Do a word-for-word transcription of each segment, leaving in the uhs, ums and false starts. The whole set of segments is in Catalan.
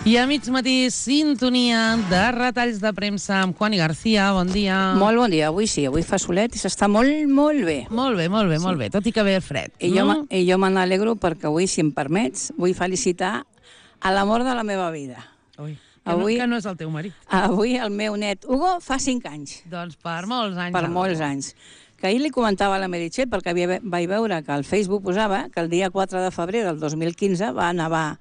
I a mig matí, sintonia de retalls de premsa amb Juani García. Bon dia. Molt bon dia. Avui sí, avui fa solet i s'està molt, molt bé. Molt bé, molt bé, Sí. molt bé. Tot i que ve el fred. I jo, me- i jo me n'alegro perquè avui, si em permets, vull felicitar a l'amor de la meva vida. Ui, que, Avui- no, que no és el teu marit. Avui el meu net Hugo fa cinc anys, Doncs per molts anys. per Alba. molts anys. Que ahir li comentava a la Meritxell, perquè havia, vaig veure que al Facebook posava que el dia quatre de febrer del dos mil quinze va nevar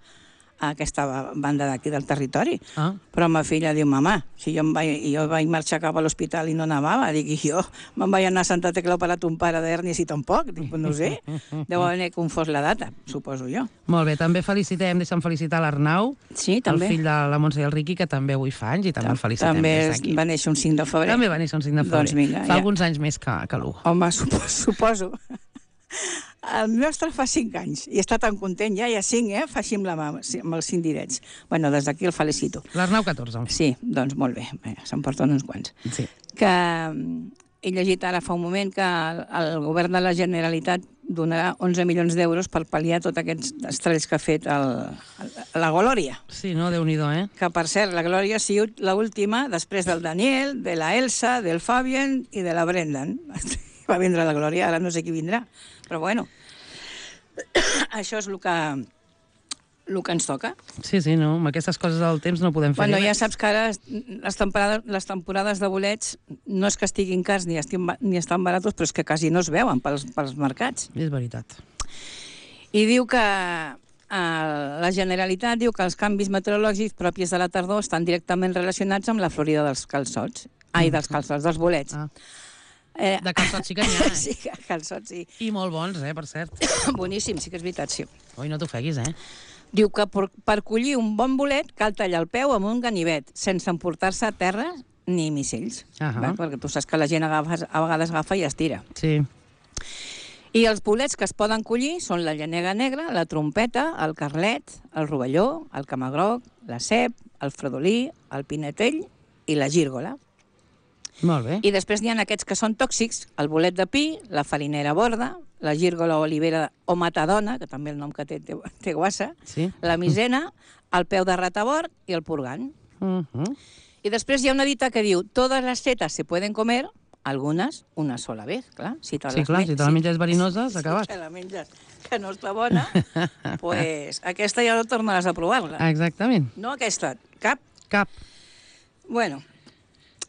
a aquesta banda d'aquí del territori. Ah. Però ma filla diu, mamà, si jo, em vaig, jo vaig marxar cap a l'hospital i no nevava, dic, i jo me'n vaig anar a Santa Tecla a operar ton pare d'hèrnies i tampoc, dic, no ho sé, deu haver confós la data, suposo jo. Molt bé, també felicitem, deixa'm felicitar l'Arnau, Sí, el també. fill de la Montse i el Riqui, que també avui fa anys, i també el felicitem També des és- d'aquí. va néixer un cinc de febrer. També va néixer un cinc de febrer. Doncs vinga, fa ja. alguns anys més que, que l'Hugo. Home, suposo. suposo. El nostre fa cinc anys i està tan content, ja hi ha cinc, eh? Fa així amb, la mà, amb els cinc direts. Bueno, des d'aquí el felicito. L'Arnau, catorze. Sí, doncs molt bé, bé se'n porten uns quants. Sí. Que mm, he llegit ara fa un moment que el, el govern de la Generalitat donarà onze milions d'euros per pal·liar tots aquests estralls que ha fet el, el, la Glòria. Sí, no? Déu-n'hi-do, eh? Que, per cert, la Glòria ha sigut l'última després del Daniel, de la Elsa, del Fabian i de la Brendan. Va vindre la Glòria, ara no sé qui vindrà. Però bueno, això és el que, el que ens toca. Sí, sí, no? Amb aquestes coses del temps no podem fer Bueno, ja res. saps que ara les temporades, les temporades de bolets no és que estiguin cars ni, estin, ni estan baratos, però és que quasi no es veuen pels, pels mercats. És veritat. I diu que eh, la Generalitat diu que els canvis meteorològics propis de la tardor estan directament relacionats amb la florida dels calçots. Ai, dels calçots, dels bolets. Ah. Eh, De calçots sí que n'hi ha, eh? sí, calçots, sí. I molt bons, eh, per cert. Boníssim, sí que és veritat, sí. Ui, no t'ofeguis, eh? Diu que per, per collir un bon bolet cal tallar el peu amb un ganivet, sense emportar-se a terra ni missells. Ahà. Va? Perquè tu saps que la gent agafa, a vegades agafa i estira. Sí. I els bolets que es poden collir són la llanega negra, la trompeta, el carlet, el rovelló, el camagroc, la cep, el fredolí, el pinetell i la gírgola. Molt bé. I després n'hi ha aquests que són tòxics, el bolet de pi, la farinera borda, la gírgola olivera o matadona, que també el nom que té té, té guassa, Sí. la misena, el peu de ratavort i el purgant. Uh -huh. I després hi ha una dita que diu todas las setas se pueden comer, algunes una sola vez, clar. Si te Sí, les clar, men- si te la menges verinosa, s'ha acabat. Si te la menges que no està bona, pues aquesta ja no tornaràs a provar-la. Exactament. No aquesta, cap. Cap. Bueno,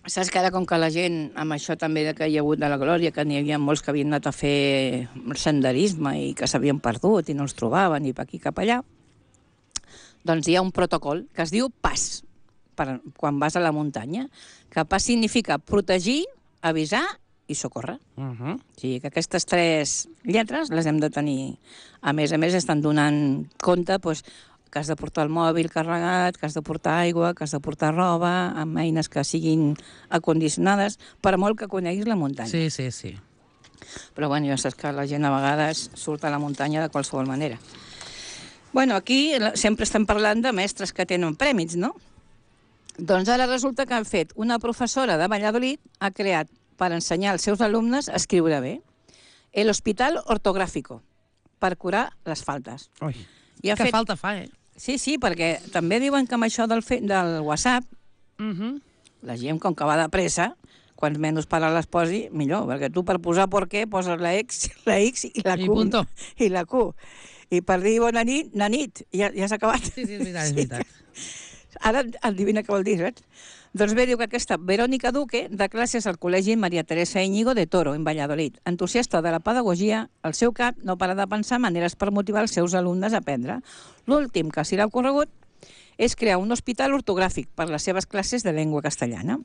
saps que ara com que la gent, amb això també de que hi ha hagut de la Glòria, que n'hi havia molts que havien anat a fer senderisme i que s'havien perdut i no els trobaven i per aquí cap allà, doncs hi ha un protocol que es diu PAS, per, quan vas a la muntanya, que PAS significa protegir, avisar i socórrer. Uh -huh. O sigui que aquestes tres lletres les hem de tenir. A més a més, estan donant compte doncs, que has de portar el mòbil carregat, que has de portar aigua, que has de portar roba, amb eines que siguin acondicionades, per molt que coneguis la muntanya. Sí, sí, sí. Però bueno, ja saps que la gent a vegades surt a la muntanya de qualsevol manera. Bueno, aquí sempre estem parlant de mestres que tenen prèmits, no? Doncs ara resulta que han fet una professora de Valladolid, ha creat per ensenyar als seus alumnes a escriure bé el Hospital Ortográfico, per curar les faltes. Ui, I ha que fet... falta fa, eh? Sí, sí, perquè també diuen que amb això del, fe... del WhatsApp, Uh -huh. la gent, com que va de pressa, quants menys paraules posi, millor, perquè tu per posar per què poses la X, la X i la Q. I punto. I la Q. I per dir bona nit, na nit, ja, ja s'ha acabat. Sí, sí, és veritat, és veritat. Ara endevina què vol dir, saps? Doncs bé, diu que aquesta Verònica Duque, de classes al Col·legi Maria Teresa Íñigo de Toro, en Valladolid. Entusiasta de la pedagogia, el seu cap no para de pensar maneres per motivar els seus alumnes a aprendre. L'últim que s'hi ha ocorregut és crear un hospital ortogràfic per les seves classes de llengua castellana.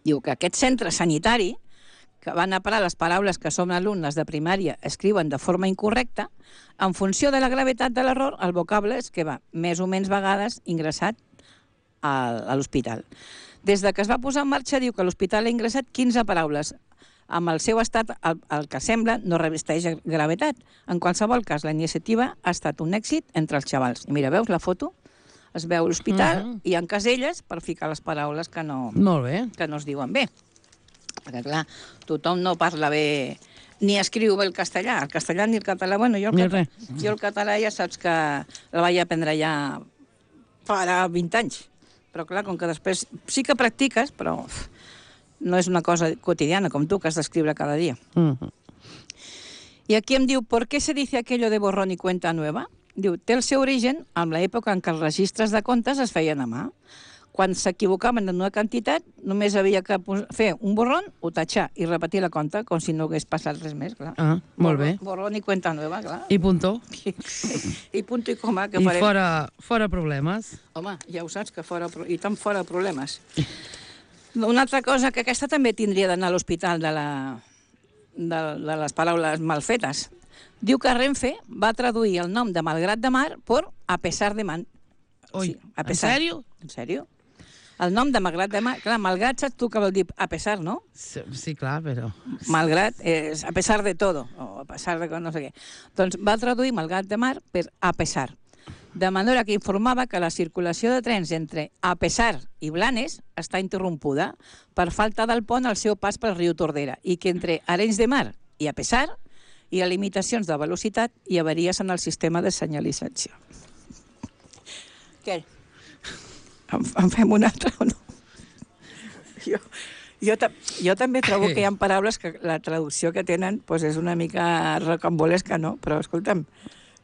Diu que aquest centre sanitari, que van a parar les paraules que som alumnes de primària escriuen de forma incorrecta, en funció de la gravetat de l'error, el vocable és que va més o menys vegades ingressat a l'hospital. Des de que es va posar en marxa, diu que l'hospital ha ingressat quinze paraules. Amb el seu estat, el, el que sembla, no revesteix gravetat. En qualsevol cas, la iniciativa ha estat un èxit entre els xavals. I mira, veus la foto? Es veu l'hospital uh-huh. i hi ha caselles per ficar les paraules que no, Molt bé. que no es diuen bé. Perquè, clar, tothom no parla bé ni escriu bé el castellà. El castellà ni el català... Bueno, jo el, Ni català, res. jo el català ja saps que la vaig aprendre ja farà vint anys. Però clar, com que després sí que practiques, però no és una cosa quotidiana, com tu, que has d'escriure cada dia. Mm-hmm. I aquí em diu, ¿por qué se dice aquello de borrón y cuenta nueva? Diu, té el seu origen en l'època en què els registres de comptes es feien a mà. Quan s'equivocaven en una quantitat, només havia que fer un borrón, ho tatxar i repetir la compta, com si no hagués passat res més, clar. Ah, molt bé. Borrón i cuenta nueva, clar. I punto. I, i punto i coma, que I farem. fora, fora problemes. Home, ja ho saps, que fora... I tant fora problemes. Una altra cosa, que aquesta també tindria d'anar a l'hospital de, la, de, de les paraules mal fetes. Diu que Renfe va traduir el nom de Malgrat de Mar per A pesar de man. Oi, Sí, a pesar. en sèrio? En sèrio? El nom de Malgrat de Mar... Clar, Malgrat saps tu què vol dir a pesar, no? Sí, sí, clar, però... Malgrat és a pesar de todo, o a pesar de no sé què. Doncs va traduir Malgrat de Mar per a pesar. De manera que informava que la circulació de trens entre A pesar i Blanes està interrompuda per falta del pont al seu pas pel riu Tordera i que entre Arenys de Mar i A pesar hi ha limitacions de velocitat i avaries en el sistema de senyalització. Què? En, en fem una altra o no? Jo, jo, ta, jo també trobo que hi ha paraules que la traducció que tenen pues, és una mica rocambolesca, no? Però, escolta'm,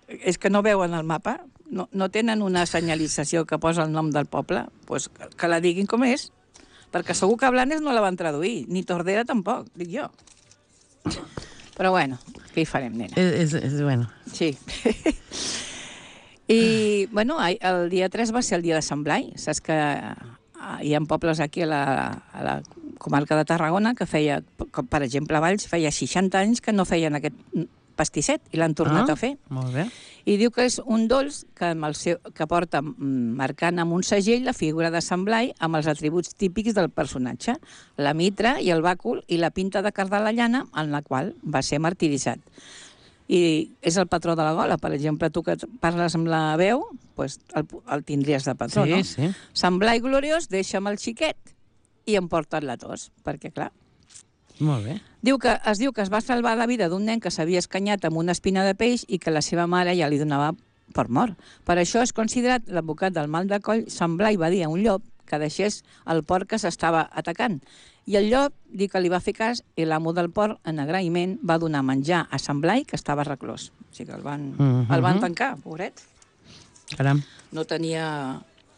és que no veuen el mapa, no, no tenen una senyalització que posa el nom del poble, pues, que, que la diguin com és, perquè segur que Blanes no la van traduir, ni Tordera tampoc, dic jo. Però bueno, què hi farem, nena? És, és, és bueno. Sí. I, bueno, el dia tres va ser el dia de Sant Blai. Saps que hi ha pobles aquí a la, a la comarca de Tarragona que feia, com per exemple, a Valls, feia seixanta anys que no feien aquest pastisset i l'han tornat ah, a fer. Molt bé. I diu que és un dolç que, amb el seu, que porta marcant amb un segell la figura de Sant Blai amb els atributs típics del personatge, la mitra i el bàcul i la pinta de cardar la llana en la qual va ser martiritzat. I és el patró de la gola. Per exemple, tu que parles amb la veu, pues el, el tindries de patró, sí, no? Sí. Sant Blai gloriós, deixa'm el xiquet i emporta't la tos, perquè clar... Molt bé. Diu que, es diu que es va salvar la vida d'un nen que s'havia escanyat amb una espina de peix i que la seva mare ja li donava per mort. Per això és considerat l'advocat del mal de coll. Sant Blai va dir a un llop que deixés el porc que s'estava atacant. I el llop diu que li va fer cas i l'amo del porc, en agraïment, va donar menjar a Sant Blai, que estava reclòs. O sigui que el van, uh-huh. el van tancar, pobret. Caram. No tenia...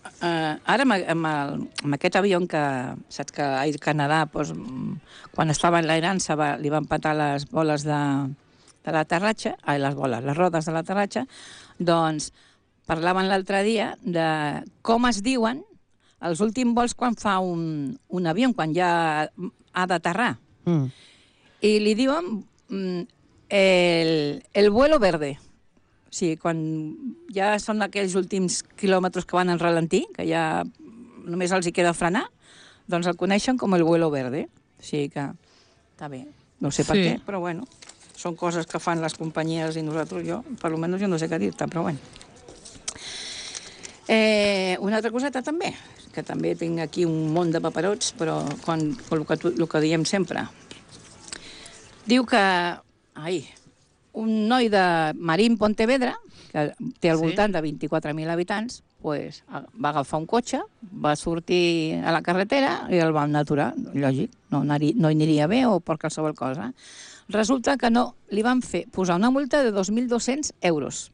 Uh, ara, amb, amb, el, amb aquest avió que, saps que a Air Canadà, doncs, quan estava en l'aerança, va, li van patar les boles de, de l'aterratge, ai, les boles, les rodes de l'aterratge, doncs parlaven l'altre dia de com es diuen els últims vols quan fa un, un avió, quan ja ha d'aterrar. Mm. I li diuen mm, el, el vuelo verde. O sigui, quan ja són aquells últims quilòmetres que van en ralentí, que ja només els hi queda frenar, doncs el coneixen com el vuelo verde. O sigui que està bé. No sé per sí. què, però bueno, són coses que fan les companyies i nosaltres, jo, per almenys jo no sé què dir-te, però bueno. Eh, una altra coseta també, que també tinc aquí un munt de paperots, però quan, el, que, el que diem sempre. Diu que... Ai, un noi de Marín, Pontevedra, que té al voltant sí. de vint-i-quatre mil habitants, pues, va agafar un cotxe, va sortir a la carretera i el van aturar, lògic, no, no hi aniria bé o per qualsevol cosa. Resulta que no, li van fer posar una multa de dos mil dos-cents euros.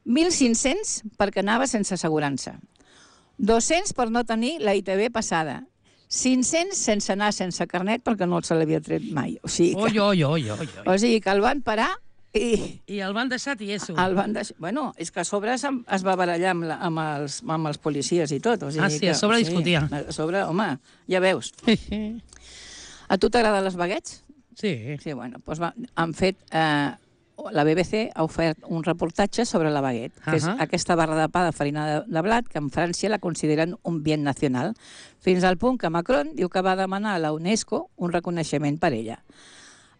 mil cinc-cents perquè anava sense assegurança. dos-cents per no tenir la I T V passada. cinc-cents sense anar sense carnet perquè no se l'havia tret mai. O sigui que, oi, oi, oi, oi, oi. O sigui que el van parar i... I el van deixar tieso. El van deixar... Bueno, és que a sobre es, es va barallar amb, la, amb, els, amb els policies i tot. O sigui ah, sí, que, a sobre sí, discutia. A sobre, home, ja veus. A tu t'agraden les baguettes? Sí. Sí, bueno, doncs va, han fet... Eh, la B B C ha ofert un reportatge sobre la baguette, que uh -huh. és aquesta barra de pa de farina de, de blat que en França la consideren un bien nacional, fins al punt que Macron diu que va demanar a la UNESCO un reconeixement per ella.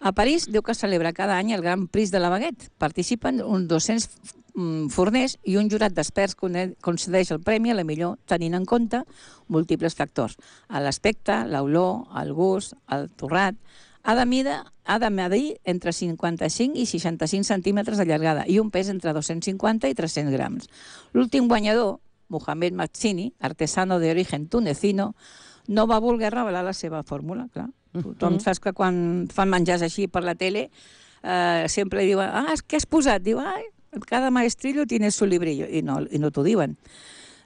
A París diu que celebra cada any el Gran Prix de la Baguette. Participen uns dos-cents forners i un jurat d'experts concedeix el premi a la millor tenint en compte múltiples factors. L'aspecte, l'olor, el gust, el torrat. Ha de, mida, ha de medir entre cinquanta-cinc i seixanta-cinc centímetres de llargada i un pes entre dos-cents cinquanta i tres-cents grams. L'últim guanyador Mohamed Mazzini, artesano de origen tunecino, no va voler revelar la seva fórmula, clar. Tothom Mhm. saps que quan fan menjars així per la tele eh, sempre diuen, ah, què has posat? Diu, ai, cada maestrillo tiene su librillo, i no, i no t'ho diuen.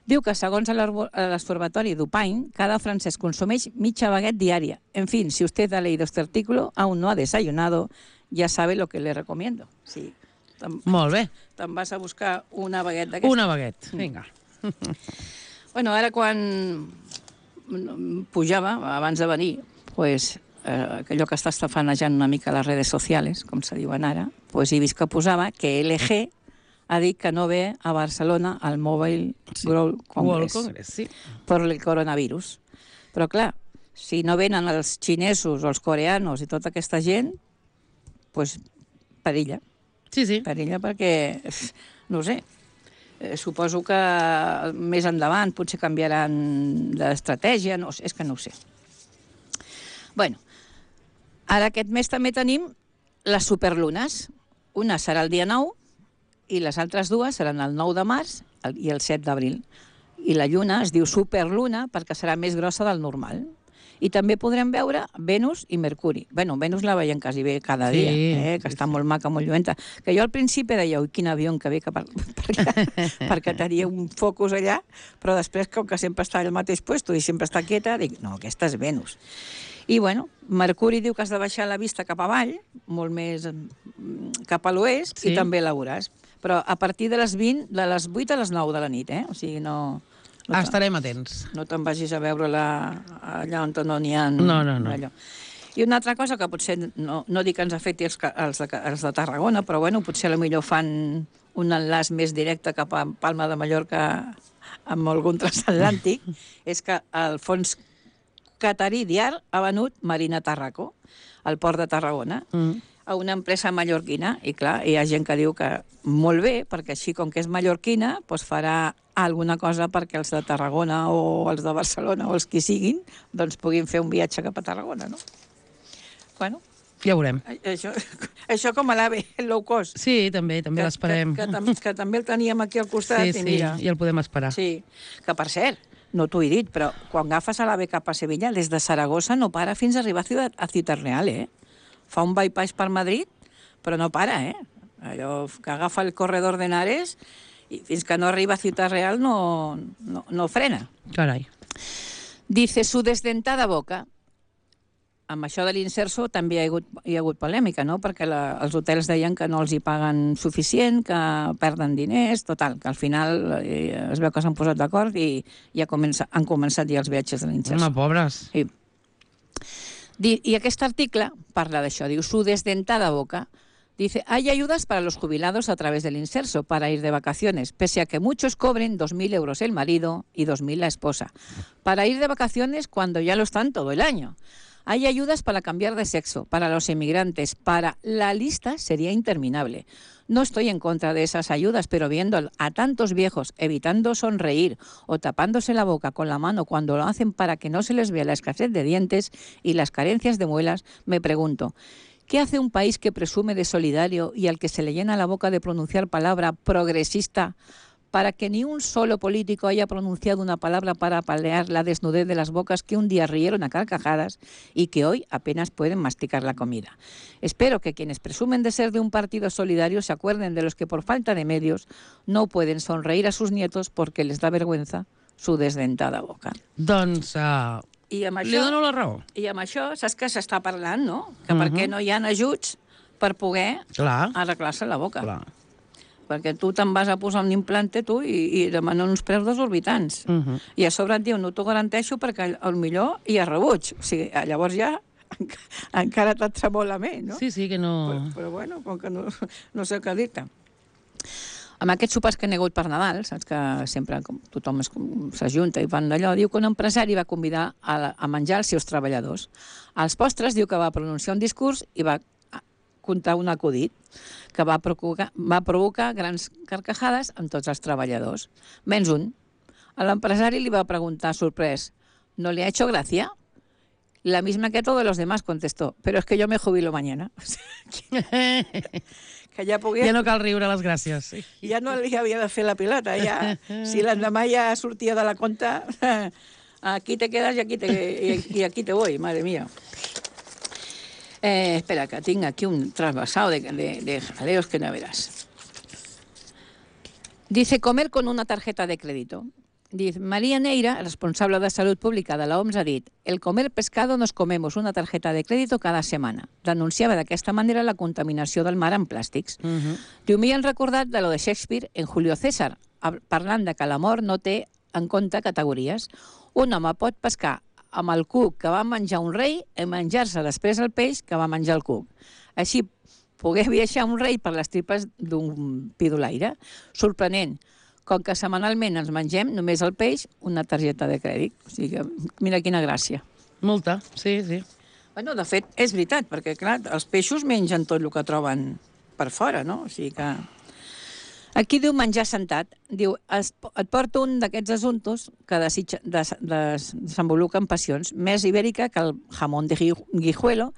Diu que, segons l'Observatori d'Upain, cada francès consumeix mitja baguette diària. En fin, si usted ha leído este artículo, aún no ha desayunado, ya sabe lo que le recomiendo. Sí. Te'n Molt bé. te'n vas a buscar una baguette d'aquesta. Una baguette, vinga. Bueno, ara quan pujava, abans de venir, pues, eh, allò que està estafanejant una mica les redes socials, com se diuen ara, pues he vist que posava que L G ha dit que no ve a Barcelona al Mobile Sí. World World Congress Congress, sí. per el coronavirus. Però clar, si no venen els xinesos o els coreanos i tota aquesta gent, pues perilla. Sí, sí. Perilla perquè, no ho sé, eh, suposo que més endavant potser canviaran d'estratègia, no, sé, és que no ho sé. Bueno, ara aquest mes també tenim les superlunes. Una serà el dia nou i les altres dues seran el nou de març el- i el set d'abril. I la lluna es diu superluna perquè serà més grossa del normal. I també podrem veure Venus i Mercuri. Bueno, Venus la veiem quasi bé cada Sí, dia, eh? que sí, està sí. molt maca, molt lluenta. Que jo al principi deia, ui, quin avió que ve que per, perquè, perquè tenia un focus allà, però després, com que sempre està al mateix puesto i sempre està quieta, dic, no, aquesta és Venus. I, bueno, Mercuri diu que has de baixar la vista cap avall, molt més mm, cap a l'oest, Sí. i també la veuràs. Però a partir de les vint, de les vuit a les nou de la nit, eh? O sigui, no... no te'n- Estarem atents. no te'n vagis a veure-la allà on no n'hi ha... No, no, no. Allò. I una altra cosa que potser, no, no dic que ens afecti els, ca- els, de, els de Tarragona, però bueno, potser a lo millor fan un enllaç més directe cap a Palma de Mallorca amb algun transatlàntic, és que el fons catarí Diar ha venut Marina Tarraco, al port de Tarragona, Mm. a una empresa mallorquina, i clar, hi ha gent que diu que molt bé, perquè així com que és mallorquina, doncs farà alguna cosa perquè els de Tarragona o els de Barcelona o els qui siguin, doncs puguin fer un viatge cap a Tarragona, no? Bueno, Ja veurem. això, això com a l'AVE, el low cost. Sí, també, també que, l'esperem. Que, que, tam que també el teníem aquí al costat, Sí, i sí, mira... i el podem esperar. Sí, que per cert, no t'ho he dit, però quan agafes a l'AVE cap a Sevilla, des de Saragossa no para fins a arribar a Ciutat, a Ciutat Real, eh? Fa un bypass per Madrid, però no para, eh? Allò que agafa el corredor de Henares i fins que no arriba a Ciutat Real no, no, no frena. Carai. Dice, su desdentada boca. Amb això de l'inserso també hi ha hagut, hi ha hagut polèmica, no? Perquè la, els hotels deien que no els hi paguen suficient, que perden diners, total, que al final eh, es veu que s'han posat d'acord i ja comença, han començat ja els viatges de l'inserso. Home, pobres. Sí. Di- Y este artículo parla de això, diu, su desdentada boca. Dice, hay ayudas para los jubilados a través del inserso para ir de vacaciones, pese a que muchos cobren dos mil euros el marido y dos mil la esposa, para ir de vacaciones cuando ya lo están todo el año. Hay ayudas para cambiar de sexo, para los inmigrantes, para... La lista sería interminable. No estoy en contra de esas ayudas, pero viendo a tantos viejos evitando sonreír o tapándose la boca con la mano cuando lo hacen para que no se les vea la escasez de dientes y las carencias de muelas, me pregunto, ¿qué hace un país que presume de solidario y al que se le llena la boca de pronunciar palabra progresista para que ni un solo político haya pronunciado una palabra para paliar la desnudez de las bocas que un día rieron a carcajadas y que hoy apenas pueden masticar la comida? Espero que quienes presumen de ser de un partido solidario se acuerden de los que por falta de medios no pueden sonreír a sus nietos porque les da vergüenza su desdentada boca. Doncs uh, I amb li això, dono la raó. i amb això saps que s'està parlant, no? Que per Mhm. què no hi ha ajuts per poder Clar, arreglar-se la boca. clar. Perquè tu te'n vas a posar un implante, tu, i, i demanen uns preus desorbitants. Uh -huh. I a sobre et diu, no t'ho garanteixo perquè al millor hi ha rebuig. O sigui, llavors ja enca- encara te'n tremola més, no? Sí, sí, que no... Però, però bueno, com que no, no sé què dir-te. Amb aquests sopars que n'hi ha hagut per Nadal, saps que sempre com, tothom es- com s'ajunta i fan d'allò, diu que un empresari va convidar a, la- a menjar els seus treballadors. Als postres diu que va pronunciar un discurs i va contar un acudit que va provocar, va provocar grans carcajades en tots els treballadors. Menys un. A l'empresari li va preguntar, sorprès, ¿no le ha hecho gracia? La misma que todos los demás, contestó, pero es que yo me jubilo mañana. que ja pogués... Ja no cal riure les gràcies. Sí. Ja no li havia de fer la pilota, ja. Si l'endemà ja sortia de la compta, aquí te quedas y aquí te, y, y aquí te voy, madre mía. Eh, espera, que tinc aquí un trasvasado de, de, de jaleos que no verás. Dice, comer con una tarjeta de crédito. Dice, María Neira, responsable de Salud Pública de la O M S, ha dit, el comer pescado nos comemos una tarjeta de crédito cada setmana. Denunciava d'aquesta manera la contaminació del mar amb plàstics. Uh -huh. Diu, m'hi han recordat de lo de Shakespeare en Julio César, parlant de que l'amor no té en compte categories. Un home pot pescar amb el cuc que va menjar un rei i menjar-se després el peix que va menjar el cuc. Així, poder viatjar un rei per les tripes d'un pidolaire. Sorprenent. Com que setmanalment ens mengem només el peix, una targeta de crèdit. O sigui que, mira quina gràcia. Molta, sí, sí. Bueno, de fet, és veritat, perquè, clar, els peixos mengen tot el que troben per fora, no? O sigui que... Aquí diu menjar sentat. Diu, es, et porto un d'aquests assumptos que desitja, des, des, desenvolupen passions. Més ibèrica que el jamón de Guijuelo,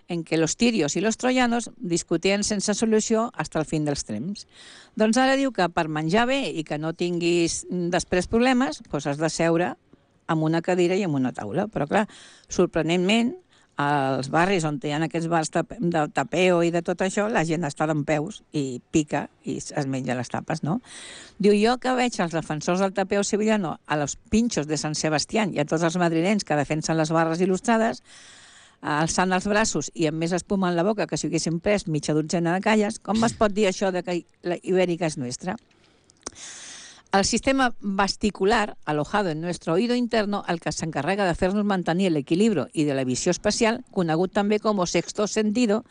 en què los tirios i los troyanos discutien sense solució fins al fin dels temps. Doncs ara diu que per menjar bé i que no tinguis després problemes, doncs has de seure amb una cadira i amb una taula. Però, clar, sorprenentment, als barris on hi ha aquests bars de tapeo i de tot això, la gent està dempeus i pica i es menja les tapes, no? Diu, jo que veig els defensors del tapeo sevillano a los pinchos de Sant Sebastián i a tots els madrilenys que defensen les barres il·lustrades, alçant els braços i amb més espuma en la boca que si haguessin pres mitja dotzena de calles, com es pot dir això de que la ibèrica és nostra? El sistema vesticular, alojado en nuestro oído interno, el que s'encarrega de fer-nos mantenir l'equilibri i de la visió espacial, conegut també com sexto sentido,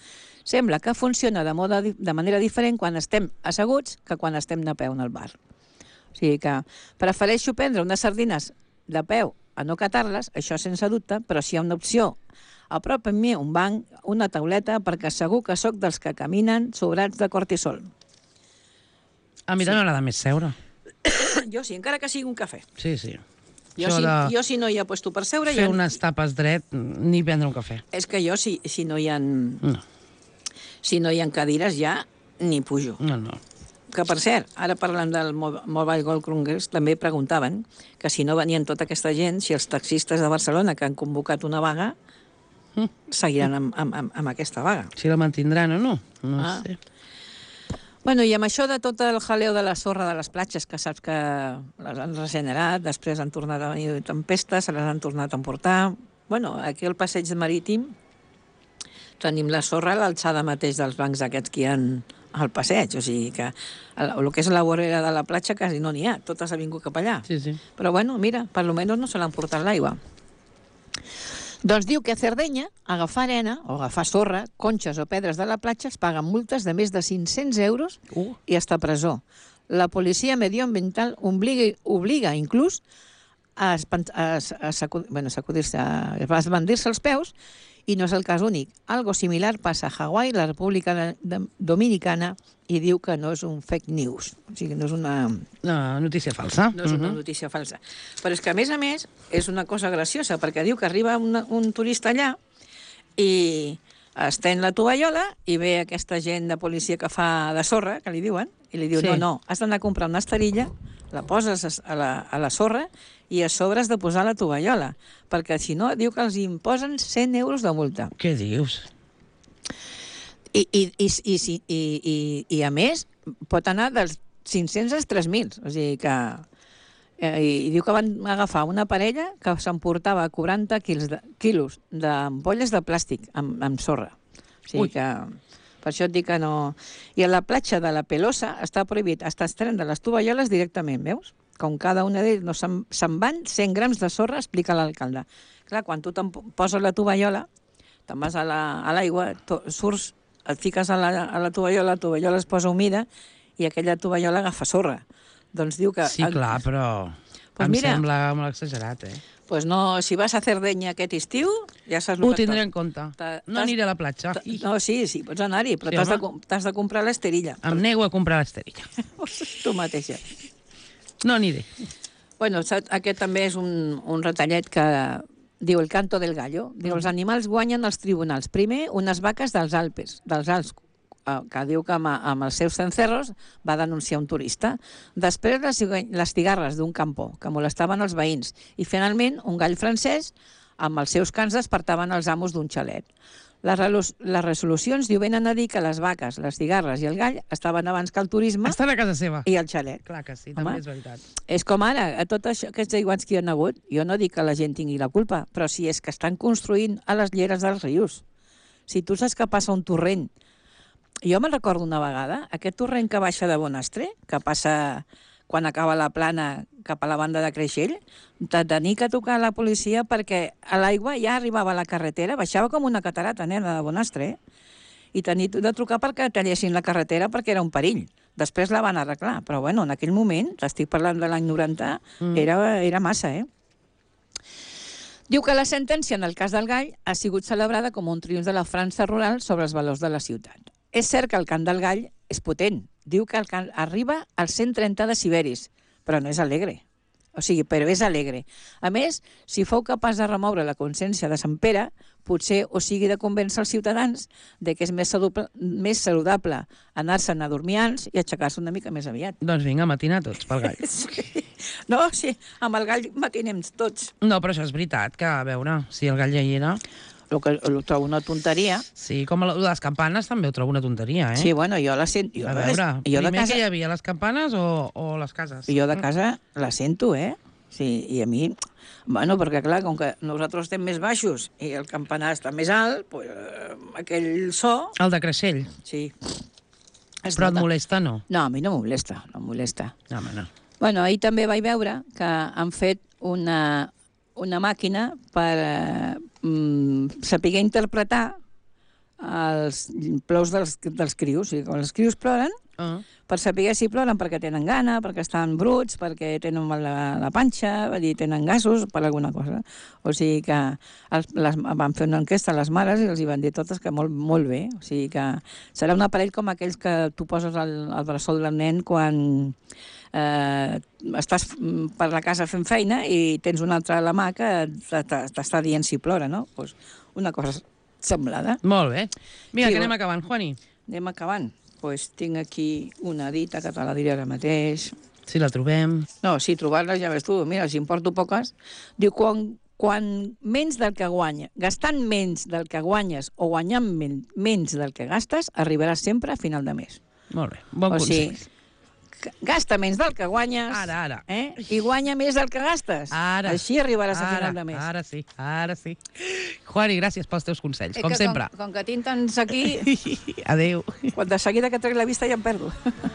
sembla que funciona de, moda, de manera diferent quan estem asseguts que quan estem de peu en el bar. O sigui que prefereixo prendre unes sardines de peu a no catar-les, això sense dubte, però si hi ha una opció a prop en mi un banc, una tauleta, perquè segur que sóc dels que caminen sobrats de cortisol. A mi també m'agrada més seure. Jo sí, encara que sigui un cafè. Sí, sí. Jo, si, de... jo si no hi ha puesto per seure... Fer ja... unes tapes dret, ni prendre un cafè. És que jo, si, si no hi ha... No. Si no hi ha cadires, ja ni pujo. No, no. Que, per cert, ara parlant del Mobile World Congress, també preguntaven que si no venien tota aquesta gent, si els taxistes de Barcelona que han convocat una vaga mm. seguiran amb, amb, amb, amb aquesta vaga. Si la mantindran o no, no ah. sé. Bueno, i amb això de tot el jaleo de la sorra de les platges, que saps que les han regenerat, després han tornat a venir tempestes, se les han tornat a emportar... Bueno, aquí al passeig marítim tenim la sorra a l'alçada mateix dels bancs aquests que hi ha al passeig, o sigui que el, el que és la vorera de la platja quasi no n'hi ha, totes ha vingut cap allà. Sí, sí. Però bueno, mira, per lo menos no se l'han portat l'aigua. Doncs diu que a Cerdeña, agafar arena o agafar sorra, conxes o pedres de la platja es paguen multes de més de cinc-cents euros uh. i hasta presó. La policia medioambiental obliga, obliga inclús a, a, a, sacudir, bueno, sacudir-se, a esbandir-se els peus, i no és el cas únic. Algo similar passa a Hawaii, la República Dominicana, i diu que no és un fake news. O sigui, no és una... No, notícia falsa. No és una uh-huh. notícia falsa. Però és que, a més a més, és una cosa graciosa, perquè diu que arriba una, un turista allà i estén la tovallola i ve aquesta gent de policia que fa de sorra, que li diuen, i li diu, sí. no, no, has d'anar a comprar una esterilla, la poses a la, a la sorra i a sobre has de posar la tovallola, perquè si no, diu que els imposen cent euros de multa. Què dius? I, i, i, i, i, i, i a més, pot anar dels cinc-cents als tres mil. O sigui que... Eh, i, I diu que van agafar una parella que s'emportava quaranta quilos de, quilos d'ampolles de plàstic amb, amb sorra. O sigui Ui. que... Per això et dic que no... I a la platja de la Pelosa està prohibit estar estrenant de les tovalloles directament, veus? Com cada una d'ells no se'n se van cent grams de sorra, explica l'alcalde. Clar, quan tu te'n poses la tovallola, te'n vas a l'aigua, la, surts, et fiques a la, a la tovallola, la tovallola es posa humida i aquella tovallola agafa sorra. Doncs diu que... Sí, clar, però pues em mira, sembla molt exagerat, eh? Pues no, si vas a Cerdeña aquest estiu, ja saps el Ho que... tindré en compte. No aniré a la platja. No, sí, sí, pots anar-hi, però sí, t'has de, de comprar l'esterilla. Em nego a comprar l'esterilla. Tu mateixa. No aniré. Bueno, aquest també és un, un retallet que diu el canto del gallo. Diu, els animals guanyen als tribunals. Primer, unes vaques dels Alpes, dels Alps, que diu que amb, amb els seus cencerros va denunciar un turista. Després les, les cigarres d'un campó, que molestaven els veïns. I finalment un gall francès amb els seus cants despertaven els amos d'un xalet. Les, les resolucions diu venen a dir que les vaques, les cigarres i el gall estaven abans que el turisme Estan a casa seva. i el xalet. Clar que sí, Home, també és veritat. És com ara, a tot això, aquests aiguats que hi ha hagut, jo no dic que la gent tingui la culpa, però si és que estan construint a les lleres dels rius. Si tu saps que passa un torrent. Jo me'n recordo una vegada, aquest torrent que baixa de Bonastre, que passa quan acaba la plana cap a la banda de Creixell, de tenir que tocar la policia perquè l'aigua ja arribava a la carretera, baixava com una catarata, nena, de Bonastre, i tenir de trucar perquè tallessin la carretera perquè era un perill. Després la van arreglar, però bueno, en aquell moment, t'estic parlant de l'any noranta, mm. era, era massa, eh? Diu que la sentència en el cas del gall ha sigut celebrada com un triomf de la França rural sobre els valors de la ciutat. És cert que el cant del gall és potent. Diu que el cant arriba als cent trenta deciberis, però no és alegre. O sigui, però és alegre. A més, si fou capaç de remoure la consciència de Sant Pere, potser o sigui de convèncer els ciutadans de que és més saludable, més saludable anar-se'n a dormir ans i aixecar-se una mica més aviat. Doncs vinga, matinar tots pel gall. Sí. No, sí, amb el gall matinem tots. No, però això és veritat, que a veure, si el gall ja hi era... El que ho trobo una tonteria. Sí, com les campanes també ho trobo una tonteria, eh? Sí, bueno, jo la sento. Jo a veure, jo primer de casa, que hi havia, les campanes o, o les cases? Jo de casa la sento, eh? Sí, i a mi... Bueno, perquè clar, com que nosaltres estem més baixos i el campanar està més alt, pues, eh, aquell so... El de Creixell? Sí. Es Però nota. Et molesta, no? No, a mi no em molesta, no em molesta. No, home, no. Bueno, ahir també vaig veure que han fet una, una màquina per eh, mm, saber interpretar els plors dels, dels crios. O sigui, quan els crios ploren, uh. per saber si ploren perquè tenen gana, perquè estan bruts, perquè tenen mal la, la panxa, vull dir, tenen gasos, per alguna cosa. O sigui que els, les, van fer una enquesta a les mares i els hi van dir totes que molt, molt bé. O sigui que serà un aparell com aquells que tu poses al, al bressol del nen quan eh, estàs per la casa fent feina i tens un altre a la mà que t'està dient si plora, no? Pues una cosa semblada. Molt bé. Vinga, sí, que anem acabant, Juani. Anem acabant. Pues tinc aquí una dita que te la diré ara mateix. Si la trobem. No, si trobar-la ja ves tu. Mira, si em porto poques. Diu, quan, quan menys del que guanya, gastant menys del que guanyes o guanyant men menys del que gastes, arribaràs sempre a final de mes. Molt bé, bon o consell. Sigui, gasta menys del que guanyes ara, ara. Eh? I guanya més del que gastes. Ara. Així arribaràs ara, a final de mes. Ara sí, ara sí. Juani, gràcies pels teus consells, com sempre. Com, com que tinc tants aquí... Adéu. Quan de seguida que trec la vista ja em perdo.